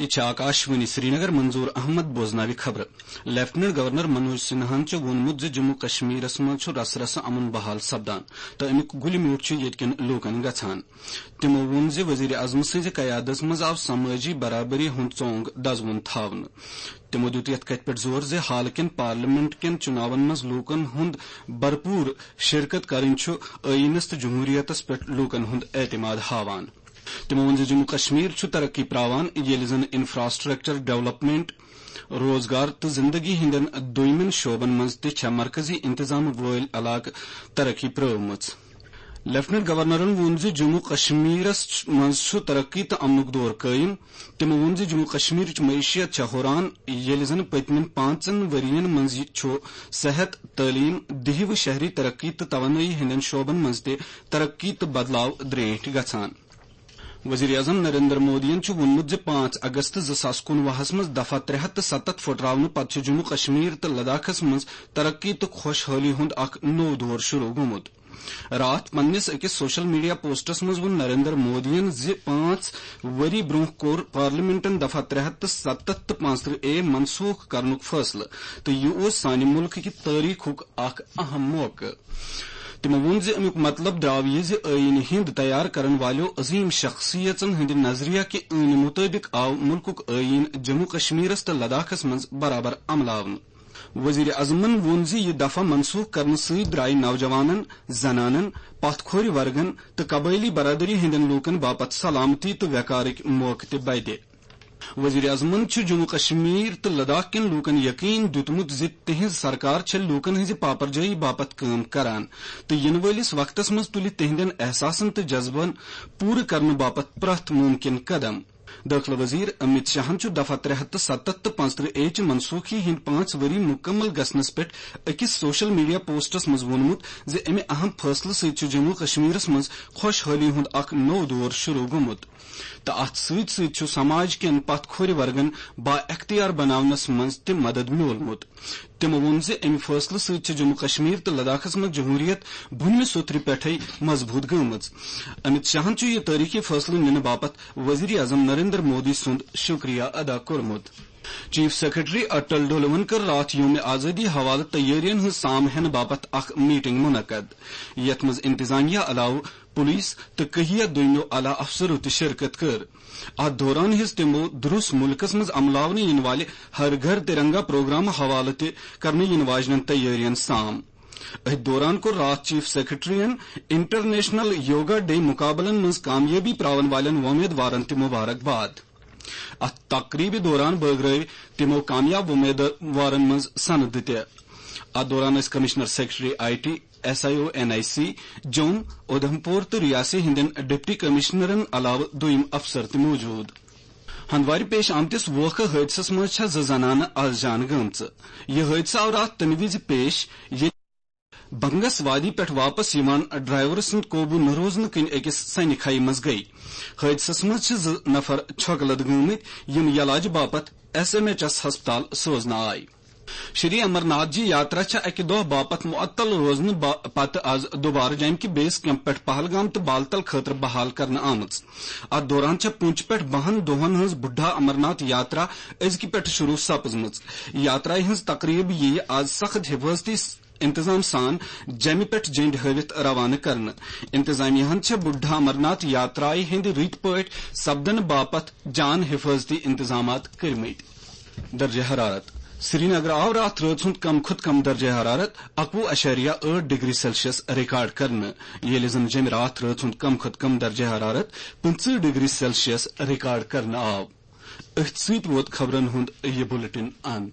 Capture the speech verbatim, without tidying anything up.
یہِ چھِ آکاشوانی سرینگر، منظور احمد بوزناوِ خبرٕ۔ لیفٹیننٹ گورنر منوج سنہاہن چھُ ووٚنمُت زِ جموں کشمیرس منٛز چھُ رسہٕ رسہٕ امن بحال سپدان تہٕ امیُک گُلہِ میوٗٹھ چھُ ییٚتہِ کٮ۪ن لوٗکن گژھان۔ تِمو ووٚن زِ وزیر اعظم سٕنٛزِ قیادت منٛز آو سمٲجی برابری ہُنٛد ژونگ دزوُن تھاونہٕ۔ تِمو دیُت یَتھ کَتھِ پٮ۪ٹھ زور زِ حالہٕ کٮ۪ن پارلیمنٹ کٮ۪ن چُناون منٛز لوٗکن ہُنٛد بھرپوٗر شرکت کرٕنۍ چھُ ٲییٖنس تہٕ جمہوٗریتس پٮ۪ٹھ لوٗکن ہُنٛد اعتماد ہاوان۔ تِمو ووٚن زِ جموں کشمیر چھُ ترقی پراوان، ییٚلہِ زن انفراسٹرکچر ڈیولپمنٹ، روزگار تہٕ زندگی ہٕنٛدٮ۪ن دویمٮ۪ن شعبن منٛز تہِ چھےٚ مرکزی انتظام وٲلۍ علاقہٕ ترقی پرٲومٕژ۔ لیفٹیننٹ گورنرن ووٚن زِ جموں کشمیرس منٛز چھُ ترقی تہٕ امنُک دور قٲیِم۔ تِمو ووٚن زِ جموں کشمیرٕچ معیشت چھےٚ ہُران، ییٚلہِ زن پٔتمٮ۪ن پانٛژن ؤرین منٛز یہِ چھُ صحت، تعلیٖم، دیہی و شہری ترقی تہٕ توانٲیی ہٕنٛدٮ۪ن شعبن منٛز تہِ ترقی تہٕ بدلاو درٛینٛٹھۍ گژھان۔ وزیر اعظم نریندر مودیَن چھُ ووٚنمُت زِ پانٛژھ اگست زٕ ساس کُنوُہَس منٛز دفعہ ترٛےٚ ہَتھ تہٕ ستتھ پھُٹراونہٕ پتہٕ چھُ جموں کشمیر تہٕ لداخس منٛز ترقی تہٕ خۄشحٲلی ہُنٛد اکھ نوٚو دور شروع گوٚمُت۔ راتھ پننِس أکِس سوشل میڈیا پوسٹس منٛز ووٚن نریندر مودیَن زِ پانٛژھ ؤری برٛونٛہہ کوٚر پارلیمنٹن دفعہ ترٛےٚ ہَتھ تہٕ ستتھ تہٕ پانٛژترٕہ اے منسوخ کرنُک فٲصلہٕ تہٕ یہِ اوس سانہِ مُلکہٕ کہِ تٲریخُک اکھ اہم موقعہٕ۔ تِمو ووٚن زِ امیُک مطلب درٛاو یہِ زِ ٲییٖنہٕ ہِنٛد تیار کرن والیو عظیم شخصیژن ہٕنٛدِ نظریہ کہِ ٲنہِ مُطٲبِق آو مُلکُک ٲییٖن جموں کشمیرس تہٕ لداخس منٛز برابر عملاونہٕ۔ وزیر اعظمن ووٚن زِ یہِ دفعہ منسوخ کرنہٕ سۭتۍ درٛایہِ نوجوانن، زنانن، پتھ کھورِ ورگن تہٕ قبٲیلی برادری ہٕنٛدٮ۪ن لوٗکن باپتھ سلامتی تہٕ وقارٕکۍ موقعہٕ تہِ بدِ۔ وزیر اعظمن چھُ جموں کشمیر تہٕ لداخ کٮ۪ن لوٗکن یقین دیُتمُت زِ تِہنٛز سرکار چھےٚ لوٗکن ہٕنٛزِ پاپرجٲیی باپتھ کٲم کران تہٕ یِنہٕ وٲلِس وقتس منٛز تُلہِ تِہنٛدٮ۪ن احساسن تہٕ جذبن پوٗرٕ کرنہٕ باپتھ پرٛٮ۪تھ مُمکِن قدم۔ دٲخلہٕ وزیر امیت شاہن چھُ دفعہ ترٛےٚ ہَتھ تہٕ ستتھ تہٕ پانٛژترٕہ اے چہِ منسوخی ہٕنٛدۍ پانٛژھ ؤری مُکمل گژھنس پٮ۪ٹھ أکِس سوشل میڈیا پوسٹس منٛز ووٚنمُت زِ امہِ اہم فٲصلہٕ سۭتۍ چھُ جموں کشمیرس منٛز خۄشحٲلی ہُنٛد اکھ نوٚو دور شروع گوٚمُت تہٕ اتھ سۭتۍ سۭتۍ چھُ سماج کٮ۪ن پتھ کھورِ ورگن با اختیار بناونس منٛز تہِ مدد میولمُت۔ تِمو ووٚن زِ امہِ فٲصلہٕ سۭتۍ چھِ جموں کشمیر تہٕ لداخس منٛز جمہوریت بُنمہِ سوٚترِ پٮ۪ٹھے مضبوٗط گٔمٕژ۔ امیت شاہن چھُ یہِ تٲریخی فٲصلہٕ نِنہٕ باپتھ وزیر اعظم نریندر مودی سُنٛد شُکریہ ادا کوٚرمُت۔ چیف سیکرٹری اٹل ڈولون کٔر راتھ یوم آزادی حوالہٕ تیٲرین ہٕنٛز سام ہینہٕ باپتھ اکھ میٹنگ منعقد، یتھ منٛز انتظامیہ علاوٕ پولیس تہٕ کہیا دویمو اعلیٰ افسرو تہِ شرکت کٔر۔ اتھ دوران ہیٚژ تِمو دروس مُلکس منٛز عملاونہٕ یِنہٕ والہِ ہر گھر ترنگا پروگرام حوالہٕ تہِ کرنہٕ یِنہٕ واجنٮ۪ن تیٲرین سام۔ أتھۍ دوران کوٚر راتھ چیف سیکرٹریَن انٹرنیشنل یوگا ڈے مُقابلن منٛز کامیٲبی پراون والٮ۪ن وۄمیدوارن تہِ مبارک باد۔ اتھ تقریبہِ دوران بٲگرٲوۍ تِمو کامیاب وۄمیدوارن منٛز سند تہِ۔ اتھ دوران ٲسۍ commissioner secretary I T, S I O N I C, جوٚم، اودھم پور تہٕ ریاسی ہٕنٛدٮ۪ن ڈپٹی کمشنرن علاوٕ دوٚیِم افسر تہِ موجود۔ ہندوارِ پیش آمتِس ووکھٕ حٲدثس منٛز چھےٚ زٕ زنانہٕ از جان گٔمژٕ۔ یہِ حٲدثہٕ آو راتھ تَمہِ وِزِ پیش، ییٚلہِ بنگس وادی پٮ۪ٹھ واپس یِوان ڈرائیور سُنٛد قوبوٗ نہٕ روزنہٕ کِنۍ أکِس سنہِ کھایہِ منٛز گٔیہِ۔ حٲدثس منٛز چھِ زٕ نفر چھۄکہٕ لد گٔمٕتۍ، یِم یلاج باپتھ ایس ایم ایچ ایس ہسپتال سوزنہٕ آے۔ شری امرناتھ جی یاترا چھےٚ اَکہِ دۄہ باپتھ معطل روزنہٕ با-، پتہٕ از دوبارٕ جامہِ کہِ بیس کیمپ پٮ۪ٹھ پہلگام تہٕ بالتل خٲطرٕ بحال کرنہٕ آمٕژ۔ اتھ دوران چھےٚ پونچ پٮ۪ٹھ بَہَن دۄہن ہٕنٛز بُڈھا امرناتھ یاترا أزکہِ پٮ۪ٹھٕ شروع سپٕزمٕژ۔ یاترایہِ ہٕنٛز تقریب یِیہِ از سخت حفاظتی انتظام سان جیمہِ پٮ۪ٹھ جنڈ ہٲوِتھ روانہٕ کرنہٕ۔ انتظامیہ ہن چھےٚ بُڈھا امرناتھ یاترایہِ ہٕنٛدِ رٕتۍ پٲٹھۍ سپدنہٕ باپتھ جان حفاظتی انتظامات کٔرمٕتۍ۔ درجہ حرارت۔ سرینگر آو راتھ رٲژ ہُنٛد کم کھۄتہٕ کم درجہ حرارت اَکوُہ اَشاریہ ٲٹھ ڈگری سیلسیس ریکارڈ کرنہٕ، ییٚلہِ زن جیٚمہِ راتھ رٲژ ہُنٛد کم کھۄتہٕ کم درجہ حرارت پٕنٛژٕہ ڈگری سیلسیس ریکارڈ کرنہٕ آو۔ أتھۍ سۭتۍ ووت خبرن ہُنٛد یہِ بُلٹن اند۔